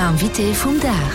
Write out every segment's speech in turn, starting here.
Invité vum Dag.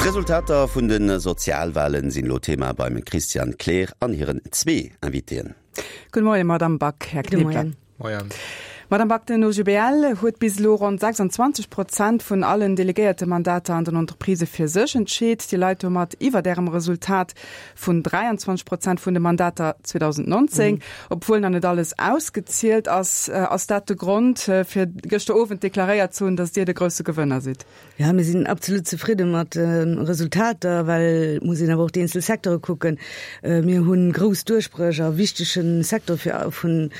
D'Resultater vun de Sozialwalen sinn elo Thema beim Christian Kleer an hiren zwee Invitéen. Gudde Moien, Madamm Back, Här Knebeler. Moien. Madamm Back, den OGBL huet bis elo ronn 26 Prozent vun allen Delegéiertemandater an den Entreprisë fir sech entscheet. Dir leit domat iwwert Ärem Resultat vun 23 Prozent vun de Mandater 2019, obwuel nach net alles ausgezielt ass. Ass dat de Grond, fir gëschter Owend deklaréiert ze hunn, datt Dir de grousse Gewënner sidd? Ja, mir sinn absolut zefridde mat de Resultater, well et muss een awer och déi eenzel Secteure kucken. Mir hu grouss Duerchbréch a wichtege Secteure fir, vun,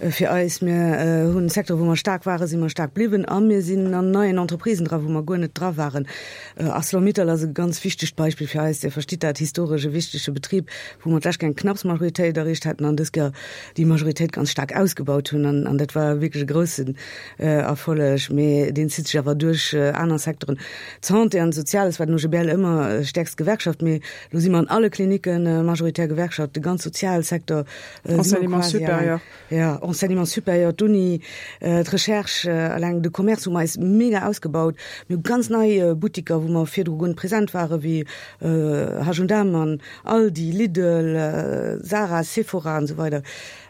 fir eis. Mir hunn Secteure wou mer staark waren, si mer staark bliwwen a mir sinn an neien Entreprisen dra wou mer guer net dra waren. Arcelor-Mittal ass e ganz wichtegt Beispill fir eis. Dir verstitt dat, historesch e wichtege Betrib, wou mer d'lescht Kéier eng knapps Majoritéit erreecht haten an dës Kéier déi Majoritéit ganz staark ausgebaut hunn an, an dat war wierklech e groussen Erfolleg, mee deen zitt sech awer duerch aner Secteuren. D'Santé an d'Soziales war den OGBL ëmmer stäerkst Gewerkschaft, mee elo si mer an alle Klinicke majoritär Gewerkschaft, de ganz Sozialsecteur si mer quasi alleng. Jo, Enseignement supérieur, d'Uni, d'Recherche, alleng de Commerce hu mer eis mega ausgebaut. Mir hu ganz nei Buttiker, wou mer virdru guer net present waren, wéi H&M an Aldi, Lidl, Zara, Sephora an esou weider,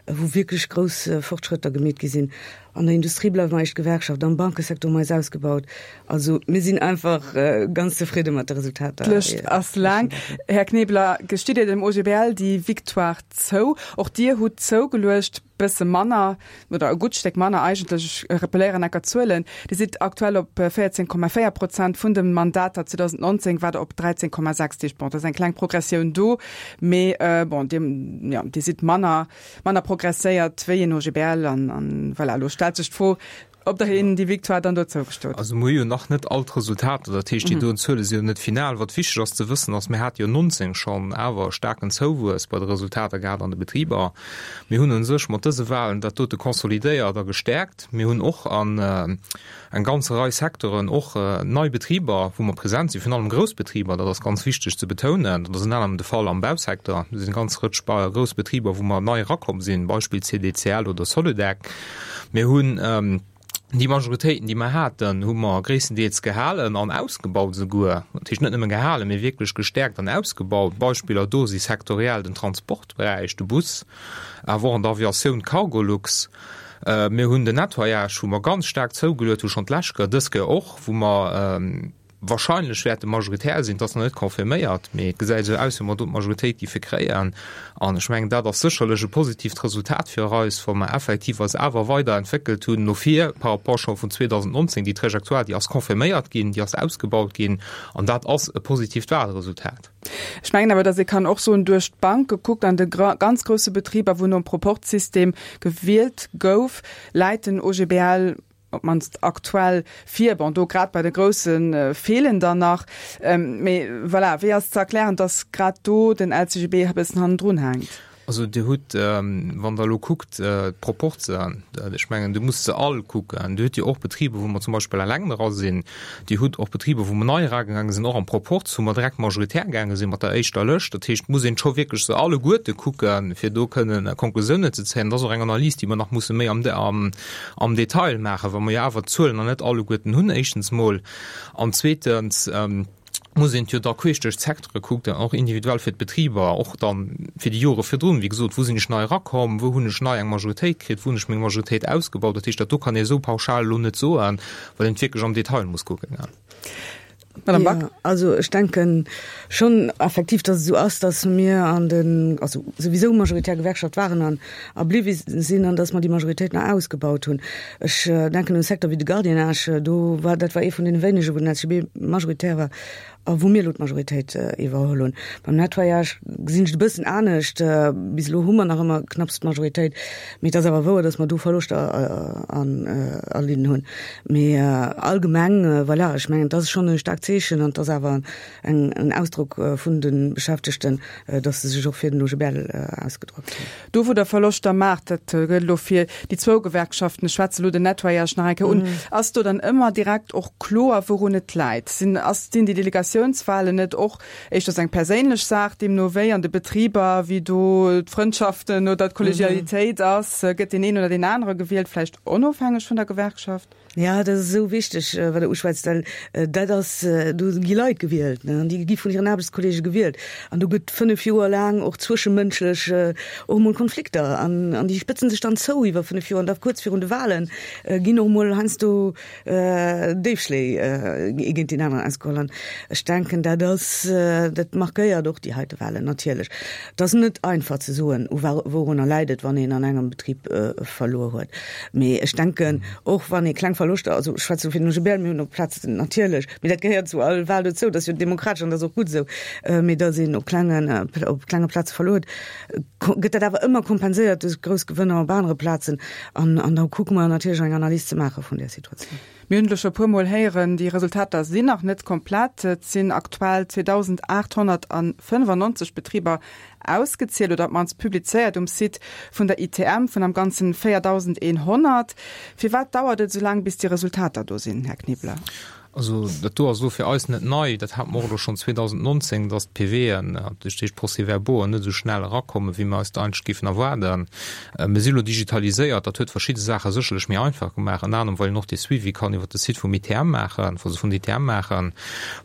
wou wierklech grouss Fortschrëtter gemeet gi sinn. An der Industrie bleiwe mer éischt Gewerkschaft, am Bankesecteur hu mer eis ausgebaut. Also mir sinn einfach ganz zefridde mat de Resultater. D'Lëscht ass laang. Här Knebeler, gestitt Dir dem OGBL déi Victoire zou? Och Dir hutt zougeluecht, bësse manner oder e gutt Stéck manner eigentlech. Ech rappelléieren enker d'Zuelen, Dir sidd aktuell op 14,4 Prozent vun de Mandater, 2019 waart Der op 13,6. Dat heescht, bon, et ass eng kleng Progressioun do, mee bon, Dir, jo, Dir sidd manner. manner progresséiert wéi en OGBL an, an voilà, elo stellt sech d'Fro, ob der hinnen déi Victoire dann do zougestoot. Also mir hu jo nach net all d'Resultater, dat heescht déi doen Zuele si jo net final. Wat wichteg ass ze wëssen ass, mir hate jo 19 schonn awer e staarken Zouwuess bei de Resultater gehat an de Betriber. Mir hunn u sech mat dëse Wahlen dat dote consolidéiert a gestäerkt. Mir hunn och an eng ganz Rei Secteuren, och nei Betriber, wou mer present sinn, virun allem grouss Betriber, dat ass ganz wichteg ze betounen, dat ass ënner anerem de Fall am Bausecteur, do sinn eng ganz Rëtsch grouss Betriber, wou mer nei erakomm sinn, Beispill CDCL oder Soludec. Mir hunn déi Majoritéiten, déi mer haten, hu mer gréisstendeels gehalen an ausgebaut esouguer, dat heescht net nëmme gehalen, mee wierklech gestäerkt an ausgebaut. Beispiller do si sektoriell den Transportberäich, de Bus, awer och an der Aviatioun d'Cargolux. Mir hunn den Nettoyage, wou mer ganz staark zougeluet hu schonn d'lescht Kéier, dës Kéier och, wou mer wahrscheinlech wäerte majoritär sinn. Et ass nach net confirméiert, mee et gesäit esou aus, wéi mer do d'Majoritéit géife kréien. An ech mengen, dat ass sécherlech e positiivt Resultat fir eis, wa mer effektiv eis awer weiderentwéckelt hunn no vir par rapport scho vun 2019. Déi Trajectoire, déi ass confirméiert ginn, déi ass ausgebaut ginn an dat ass e positiivt Wahlresultat. Ech mengen awer, datt ee kann och soen, duerch d'Bank gekuckt, an de ganz grousse Betriber, wou nom Proporzsystem gewielt gouf, läit den OGBL op d'mannst aktuell vir. Bon, do grad bei de grousse feelen der nach. Mee voilà, wéi ass ze erklären, datt grad do den LCGB e bëssen hannendrun hänkt? Also Dir hutt, wann Der elo kuckt, d'Proporzen, ech mengen, Dir musst se all kucken, Dir hutt jo och Betriber, wou mer zum Beispill eleng dra sinn, Dir hutt och Betriber, wou mer nei eragaange sinn, och am Proporz, wou mer direkt majoritär gaange sinn mat der éischter Lëscht. Dat heescht, et muss een scho wierklech se alleguerte kucken, fir do kënnen Konklusiounen ze zéien. Dat ass och eng Analys, déi mer nach musse méi am Detail maachen, well mer jo awer d'Zuelen nach net alleguerten hunn, éischtens mol, an zweetens, muss een et jo da queesch duerch d'Secteure kucken, och individuell fir d'Betriber, och da fir déi Jore virdrun, wéi gesot, wou sinn ech nei erakomm, wou hunn ech nei eng Majoritéit kritt, wou hunn ech meng Majoritéit ausgebaut. Dat heescht, dat do kann ee esou pauschal elo net soen, well een et wierklech am Detail muss kucken. Madame Back. Jo, also ech denke schonn effektiv, datt et esou ass, datt mir an den, also souwisou majoritär Gewerkschaft waren an a bliwwi sinn an datt mer déi Majoritéit nach ausgebaut hunn. Ech denken un e Secteur wéi de Gardiennage, do war, dat war ee vun deene wéinege wou den LCGB majoritär war a wou mir elo d'Majoritéit iwwerholl hunn. Beim Nettoyage gesinn ech et e bëssen anescht. Bis elo hu mer nach ëmmer knapps d'Majoritéit, mee et ass awer wouer, datt mer do Verloschter erlidden hunn. Mee allgemeng, voilà, ech mengen, et ass schonn e staarkt. staarkt Zeechen an et ass awer eng, en Ausdrock vun de Beschäftegten, dass se sech och fir den OGBL ausgedrockt hunn. Do wou Der Verloschter maacht, dat gëllt elo fir déi zwou Gewerkschaften, ech schwätze elo den Nettoyage nach eng Kéier un, ass do dann ëmmer direkt och kloer wourun et läit? Sinn, ass, sinn déi Delegatiounswahlen net och éischters eng perséinlech Saach, deemno wéi an de Betriber, wéi do d'Frëndschaften oder d'Kollegialitéit ass, gëtt deen een oder deen anere gewielt, vläicht onofhängeg vun der Gewerkschaft? Ja, dat ass esou wichteg, wat Der uschwätzt, well dat ass, do gi Leit gewielt, ne, an déi gi vun hiren Aarbechtskollege gewielt. An do gëtt 5 Joer laang och zwëschemënschlech och emol Konflikter an, an déi spëtzen sech dann zou iwwer 5 Joer. An da kuerz virun de Wahlen ginn och emol heiansdo Déifschléi ee géint deen aneren ausgeholl. An ech denken, dat ass, dat markéiert och déi heite Wahlen natierlech. Et ass net einfach ze soen, u wourunner läit et, wann een an engem Betrib verluer huet. Mee ech denken, och wann ee kleng Verloschter, also ech schwätze lo fir den OGBL, mir hunn op Plazen natierlech, mee dat gehéiert zu all Wahl dozou, dat ass jo demokratesch an dat ass och gutt esou, mee datt een op klengen, op klenge Plaze verluer huet, gëtt dat awer ëmmer kompenséiert duerch grouss Gewënner op anere Plazen. An, an da kucke mer natierlech eng Analys ze maache vun där Situatioun. Mir hunn et elo scho e puermol héieren, déi Resultater sinn nach net komplett. Et sinn aktuell 2.895 Betriber ausgezielt oder op d'mannst publizéiert um Site vun der ITM, vun am Ganzen 4.100. Firwat dauert et esou laang, bis déi Resultater do sinn, Här Knebeler? Also dat do ass elo fir eis net nei. Dat hate mer och elo schonn 2019, datt d'PVen, dat heescht d'Procès-verbauxen, net esou schnell erakommen, wéi mer eis dat eigentlech géifen erwaarden. Mir si elo digitaliséiert, dat huet verschidde Saache sécherlech méi einfach gemaach, ënner anerem well een och dee Suivi kann iwwert de Site vum ITM maachen, also vun der ITM maachen.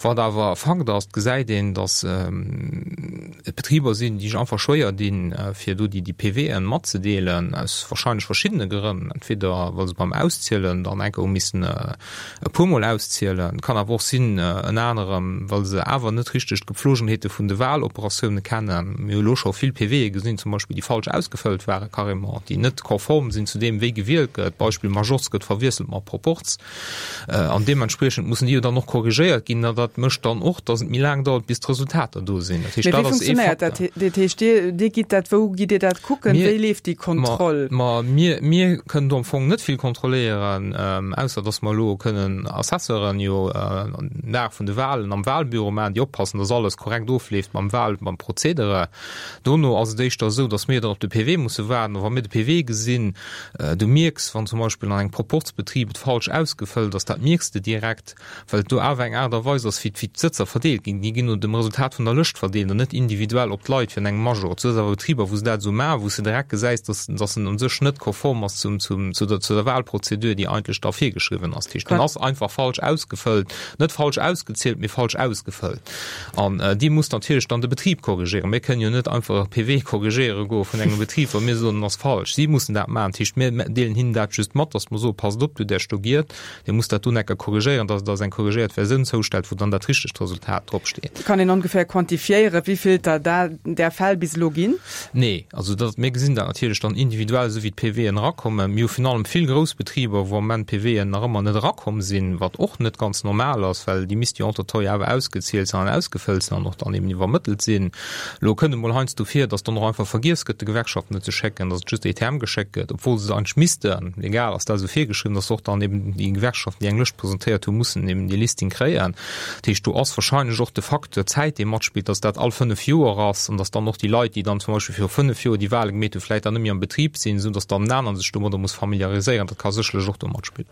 Wat awer Fakt ass, et gesäit een, datt et Betriber sinn, déi sech einfach schwéier dinn, fir do déi PVen matzedeelen, aus wahrscheinlech verschiddene Grënn, entweder well se beim Auszielen dann enker hu missen e puer Mol auszielen. Kann awer och sinn, ënner anerem, well se awer net richteg d'Gepflogenheete vun de Wahloperatioune kennen. Mir hu lo scho vill PVe gesinn, zum Beispill, déi falsch ausgefëllt ware carrément, déi net konform sinn zu deem, wéi gewielt gëtt. Beispill, Majorz gëtt verwiesselt mat Proporz. An deementspriechend mussen déi jo dann och korrigéiert ginn. An dat mécht dann och, datt et méi laang dauert, bis d'Resultater do sinn. Dat heescht, dat ass ee Facteur. Dat heescht, Dir, Dir gitt dat, wou gitt Dir dat kucken? Wéi leeft déi Kontroll? Ma mir, mir kënnen do am Fong net vill kontrolléieren, ausser datt mer elo kënnen Assesseuren jo den Dag vun de Wahlen am Wahlbüro maachen, déi oppassen, datt alles korrekt ofleeft mam Wahl, mam Prozedere. Dono ass et éischter esou, datt mir dann op de PV musse waarden. A wa mir de PV gesinn, du mierks, wann zum Beispill an engem Proporzbetrib et falsch ausgefëllt ass, dat mierks de direkt, well et do awer eng Aart a Weis ass, wéi d'Sëtzer verdeelt ginn. Déi ginn no dem Resultat vun der Lëscht verdeelt an net individuell op d'Leit fir an engem Major. Et ass awer Betriber, wou se dat esou maachen, wou s de direkt gesäis, dass, dass en u sech net konform ass zum, zum, zu der, zu der Wahlprozedur, déi eigentlech da virgeschriwwen ass. Dat heescht, en ass einfach falsch ausgefëllt, net falsch ausgezielt, mee falsch ausgefëllt. An déi muss natierlech dann de Betrib korrigéieren. Mir kënnen jo net einfach e PV korrigéiere goe vun engem Betrib, wa mir soen, en ass falsch. Si mussen dat maachen. Dat heescht, mir deelen hinnen dat just mat, dass mer soen, Passt op, du däerfs do giet. Dir musst dat do necker korrigéieren, dass et als eng korrigéiert Versioun zoustellt, wou dann dat richtegt Resultat drop steet. Kann een ongeféier quantifiéieren, wéi vill der där Fäll bis elo ginn? Nee, also dat, mir gesinn dat natierlech dann individuell, esou wéi d'PVen erakommen. Mir hu virun allem vill grouss Betriber, wou am Moment d'PVen nach ëmmer net erakomm sinn, wat och net ganz normal ass, well déi misste jo entre-temps jo awer ausgezielt sinn an ausgefëllt sinn an och dann eben iwwermëttelt sinn. Elo kënnt emol heiansdo vir, datt dann och einfach vergiess gëtt, de Gewerkschaften net ze schécken, datt et just ETM geschéckt gëtt, obwuel se et eigentlech missten. Legal ass dat esou virgeschriwwen, datt och dann eben déi Gewerkschaften, déi eng Lëscht presentéiert hunn, mussen eben déi Listing kréien. Dat heescht, do ass wahrscheinlech och de Facteur Zäit, dee matspillt, datt dat all 5 Joer ass an datt dann och déi Leit, déi dann zum Beispill viru 5 Joer déi Wahle gemeet hunn, vläicht dann net méi am Betrib sinn, esou datt dann en aneren sech domadder muss familiariséieren. Dat ka sécherlech och do matspillen.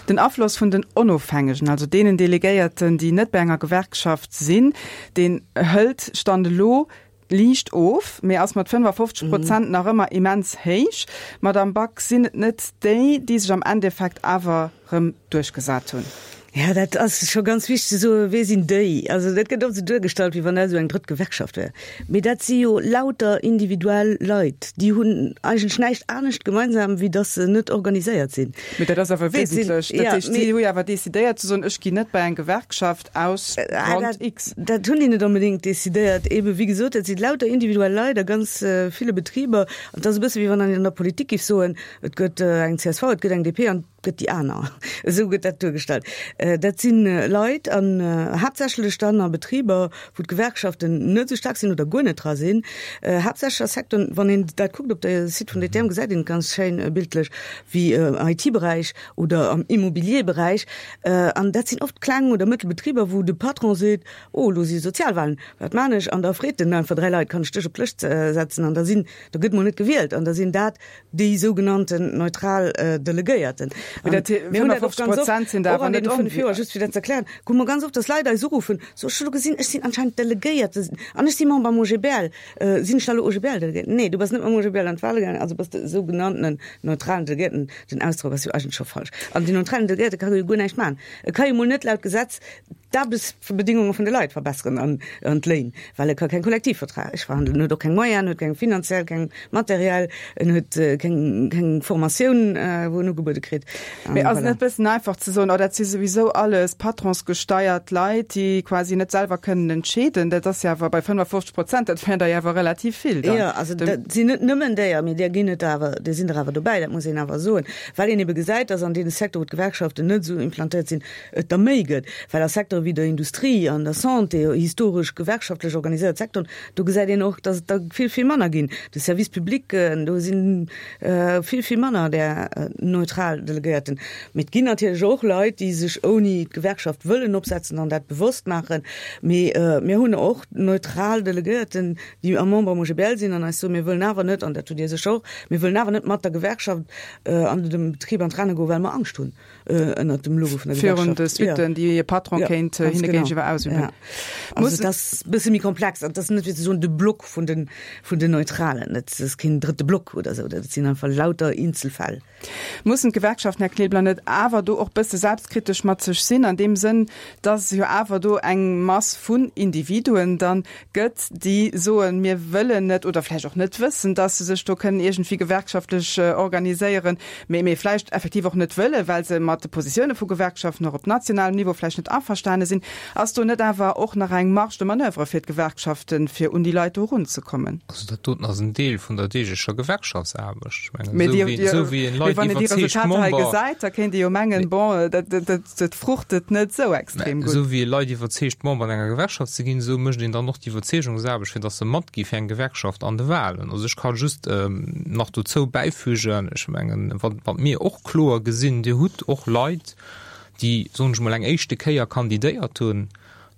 Den Afloss vun den Onofhängegen, also deenen Delegéierten, déi net bei enger Gewerkschaft sinn, deen hëlt Stand elo liicht of, mee ass mat 55 Prozent nach ëmmer immens héich. Madamm Back, sinn et net déi, déi sech am Endeffekt awer rëm duerchgesat hunn? Jo, dat ass scho ganz wichteg ze soen, Wie sinn déi? Also dat gëtt oft esou duergestallt, wéi wann dat esou eng drëtt Gewerkschaft wär. Mee dat si jo lauter individuell Leit, déi hunn eigentlech näischt anescht gemeinsam, wéi datt se net organiséiert sinn. Mee dat ass awer wesentlech. Dat heescht, si hu jo awer decidéiert ze soen, ech ginn net bei eng Gewerkschaft aus Grond X. Dat hunn déi net onbedéngt decidéiert. Eebe wéi gesot, dat si lauter individuell Leit a ganz ville Betriber. An et ass e bësse wéi wann een an der Politik géif soen, et gëtt eng csv, et gëtt eng DP an. gëtt déi aner. Esou gëtt dat duergestallt. Dat si Leit an haaptsächlech dann a Betriber, wou d'Gewerkschaften net esou staark sinn oder guer net dra sinn, haaptsächlech a Secteuren, wann een dat kuckt op de Site vun DTM, gesäit een et ganz schéin bildlech, wéi am IT-Beräich oder am Immobilier-Beräich. An dat sinn oft kleng oder mëttel Betriber, wou de Patron seet, Oh, elo si Sozialwahlen, wat maan ech? An da freet en einfach 3 Leit, Kann ech dech op d'Lëscht setzen? An da sinn, da gëtt mol net gewielt an da sinn dat déi sougenannten neutral Delegéierten. Mee dat Mir hunn dat och 55 ganz oft, Prozent sinn och awer an net deene 5 Joer, onwichtig. just fir dat ze erklären, hu mer ganz oft, dass Leit eis uruffen, so ech hu lo gesinn, ech sinn anscheinend Delegéierte an ech si Member am OGBL, sinn ech da lo OGBL-Delegéierten? Nee, du bass net mam OGBL an d'Wahle gaangen, also bass de sougenanntenen neutralen Delegéierten. Den Ausdrock ass jo eigentlech scho falsch. An den neutralen Delegéierte ka jo guer näischt maachen. E ka jo mol net laut Gesetz d'Aarbechtsbedingunge vun de Leit verbesseren an an d'Léin, well e ka keng Kollektivvertrag verhandelen, en huet och keng Moyenen, en huet keng finanziell, keng materiell, en huet keng keng Formatioun, wou en ugebuede kritt. Mee ass et net e bëssen einfach ze soen, oh dat si souwisou alles patronsgesteiert Leit, déi quasi net selwer kënnen entscheeden? Dat ass jo awer bei 55 Prozent, dat wär der jo awer relativ vill dann. Jo, also dat sinn net nëmmen déier, mee där ginn et awer, där sinn der awer dobäi, dat muss een awer soen, well een ebe gesäit, datt an deene Secteur, wou d'Gewerkschaften net esou implantéiert sinn, et der méi gëtt, well a Secteure wéi der Industrie, an der Santé, historesch gewerkschaftlech organiséiert Secteuren, do gesäit een och, datt et der vill, vill manner ginn. De Service public, do si vill, vill manner där neutral Delegéierten. Mee et ginn natierlech och Leit, déi sech ouni d'Gewerkschaft wëllen opsetzen an dat bewosst maachen. Mee mir hunn och neutral Delegéierten, déi a Member am OGBL sinn an eis soen, mir wëllen awer net, an dat hutt Dir sécher och, mir wëllen awer net mat der Gewerkschaft an dem Betrib an d'Renne goen, well mer Angscht hunn. ënnert dem Logo vun der Virun de Suitten, déi e Patron kéint hinne géintiwwer ausüben. Ja. Also dat ass e bësse méi komplex an dat ass net fir ze soen de Block vun den, vun den Neutralen. Dat ass keen drëtte Block oder esou, dat sinn einfach lauter Eenzelfäll. Mussen d'Gewerkschaften, Här Knebler, net awer do och bësse selbstkritesch mat sech sinn, an deem Sënn, dass jo awer do eng Mass vun Individuen dann gëtt, déi soen, mir wëllen net oder vläicht och net wëssen, dass se sech do kënnen iergendwéi gewerkschaftlech organiséieren, mee mee vläicht effektiv och net wëllen, well se mat de Positioune vu Gewerkschaften och op nationalem Niveau vläicht net averstane sinn. Ass do net awer och nach eng Marge de manoeuvre fir d'Gewerkschaften, fir un déi Leit do erunzekommen? Also dat doten ass en Deel vun der deeglecher Gewerkschaftsaarbecht. Ech mengen, Mee esou déi, wéi, déi, esou wéi een mee Leit wann een déi iwwerzeegt Resultater hei Member, gesäit, da kéint ee jo mengen, bon, dat, dat, dat, dat fruchtet net esou extrem gutt. Esou wéi ee Leit iwwerzeegt, Member an enger Gewerkschaft ze ginn, esou mécht een dann och d'Iwwerzeegungsaarbecht, fir datt se matgi fir eng Gewerkschaft an de Wahlen. Also ech ka just nach dozou bäifügen, ech mengen, wat, wat mir och kloer gesinn, Dir hutt och Leit, déi, soen ech mol, eng éischte Kéier kandidéiert hunn,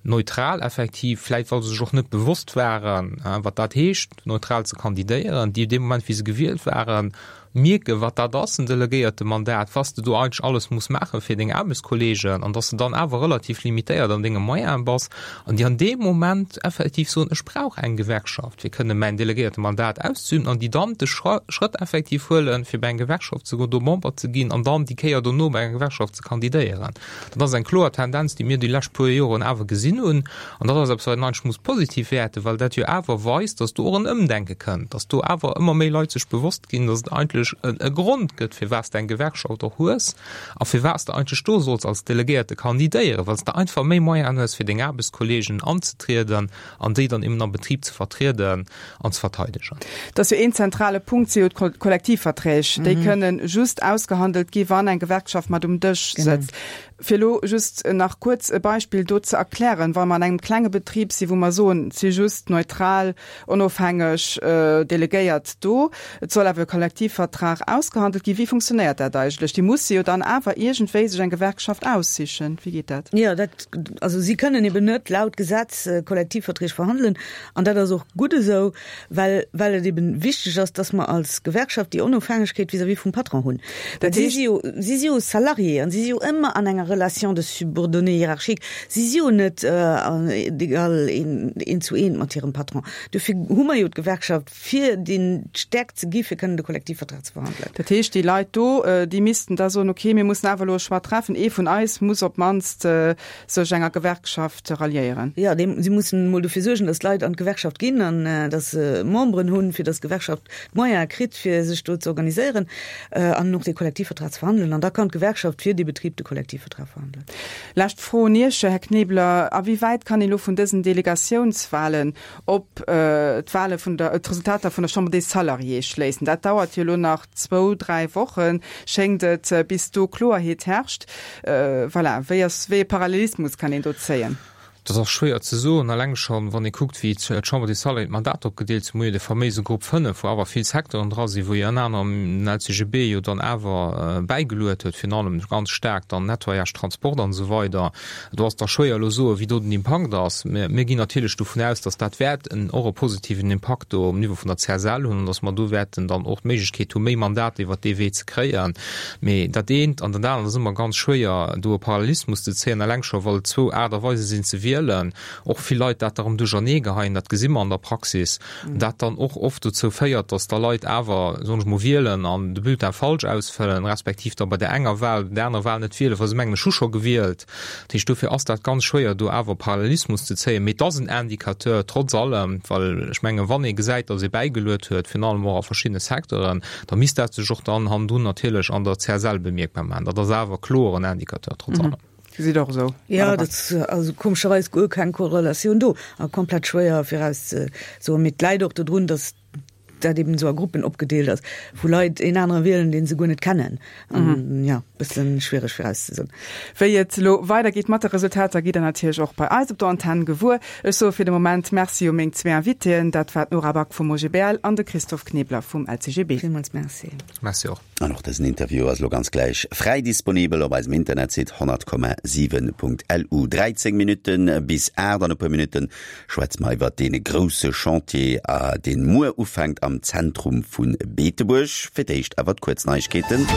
neutral effektiv, vläit well se sech och net bewosst waren, wat dat heescht, neutral ze kandidéieren, déi dee Moment, wéi se gewielt waren, mierken, wat dat ass, en Delegéiertemandat, was de do eigentlech alles muss maache fir deng Aarbechtskolleegen an dass de dann awer relativ limitéiert an denge Moyene bass an déi an deem Moment effektiv soen, ech brauch eng Gewerkschaft, fir kënne mäin Delegéiertemandat auszeüben an déi dann de Schrëtt effektiv huelen, fir bei eng Gewerkschaft ze goen, do Member ze ginn an dann déi Kéier dono bei enger Gewerkschaft ze kandidéieren. Dat ass eng kloer Tendenz, déi mir déi lescht puer Joren awer gesinn hunn. An dat ass eppes, wat een eigentlech muss positiv wäerten, well dat jo awer weist, dass do och en Ëmdenke kënnt, dass do awer ëmmer méi Leit sech bewosst ginn, dass et eigentlech e Grond gëtt, firwat s de eng Gewerkschaft och hues a firwat s de eigentlech do solls als Delegéierte kandidéieren, well s de einfach méi Moyenen hues, fir deng Aarbechtskolleegen anzetrieden an déi dann eben am Betrib ze vertrieden an ze verteidegen. Et ass jo een zentrale Punkt, si jo d'Kollektivverträg. Déi kënnen just ausgehandelt gi wann eng Gewerkschaft mat um Dësch sëtzt. Fir elo just nach kuerz e Beispill do ze erklären, Wa mer an engem klenge Betrib si wou mer soen, et si just neutral, onofhängeg Delegéiert do, et soll awer e Kollektivvertrag ausgehandelt ginn, wéi funktionéiert dat eigentlech? Déi musse jo dann awer iergendwéi sech eng Gewerkschaft aussichen. Wéi geet dat? Jo, dat, also si kënnen eben net laut Gesetz Kollektivverträg verhandelen. An dat ass och gutt esou, well, well et eben wichteg ass, dass mer als Gewerkschaft déi Onofhängegkeet vis-à-vis vum Patron hunn. Dat Si heescht. si jo, si si jo Salarié an si si jo ëmmer an enger Relation de subordonnée hiérarchique. Si si jo net d'égal eent zu eent mat hirem Patron. Dofir hu mer jo d'Gewerkschaft, fir deen d'Stäerkt ze gi fir kënnen de Kollektivvertrag ze verhandelen. Dat heescht, déi Leit do, déi missten da soen, okay, mir mussen awer elo e Choix treffen, ee vun eis muss op d'mannst sech enger Gewerkschaft ralliéieren. Jo, si mussen emol dofir suergen, datt d'Leit an d'Gewerkschaft ginn an datt se Memberen hunn, fir datt d'Gewerkschaft d'Moyene kritt, fir sech do ze organiséieren an och dee Kollektivvertrag ze verhandelen. An da kann d'Gewerkschaft fir dee Betrib de Kollektivvertrag verhandelen. Lescht Fro un Iech, Här Knebler, A wéi wäit kann een elo vun dësen Delegatiounswahlen op d'Wahle vun der, d'Resultater vun der Chambre des Salariés schléissen? Dat dauert jo elo nach. nach zwou, dräi Wochen, schéngt et, bis do Kloerheet herrscht. Voilà, wéi ass, wéi e Parallelismus kann een do zéien? Dat ass schwéier ze soen, eleng schonn, wann ee kuckt, wéi d'Chambre des Salariés d'Mandater opgedeelt sinn. Mir hu jo de faméise Grupp 5, wou awer vill Secteuren dra sinn, wou jo ënner anerem den LCGB jo dann awer bäigeluet huet, virun allem ganz staark dann Nettoyage, Transport an esou weider. Do ass da schwéier elo soen, wéi do den Impakt ass. Mir, mir ginn natierlech dovun aus, dass dat wäert en, och e positiven Impakt do um Niveau vun der CSL hunn an dass mer do wäerten dann och d'Méiglechkeet hu méi Mandater iwwert dee Wee ze kréien. Mee dat eent an dat anert ass ëmmer ganz schwéier do e Parallelismus ze zéien, eleng scho well et zwou Aart a Weise sinn ze wielen, och vill Leit dat erëm duerchernee geheien, dat gesi mer an der Praxis, dat dann och oft dozou féiert, datt da Leit awer, soen ech mol, wielen an de Bulletin falsch ausfëllen, respektiv da bei där enger Wahl, bei där anerer Wahl net wielen, well se mengen, ech hu scho gewielt. Dat heescht, dofir ass dat ganz schwéier do awer Parallelismus ze zéien. Mee et ass en Indicateur trotz allem, well ech mengen, wann ee gesäit, datt ee bäigeluet huet, virun allem och a verschiddene Secteuren, da misst dat sech och dann hannendrun natierlech an der CSL bemierkbar maachen. Dat ass awer kloer en Indicateur trotz allem. Gesitt och esou. Jo, dat ass also komescherweis guer keng Korrelatioun do a komplett schwéier virauszesoen. Mee et läit och dodrun, datt dat eben esou a Gruppen opgedeelt ass, wou Leit een anere wielen, dee se guer net kennen. An jo, bëssen schwiereg virauszesoen. Wéi et elo weidergeet mat de Resultater, gitt der natierlech och bei eis op der Antenn gewuer. Ech soe fir de Moment Merci u meng zwee Invitéen, dat war d'Nora Back vum OGBL an de Christophe Knebler vum LCGB. Villmools Merci. Merci och. An och dësen Interview ass elo ganz gläich fräi disponibel op eisem Internetsite 100,7.lu. 13 Minutte bis 8, an e puer Minutte schwätze mer iwwert dee grousse Chantier, deen muer ufänkt am Zentrum vu Beetebuerg. Fir d'éischt awer d'kuerz Neiegkeeten.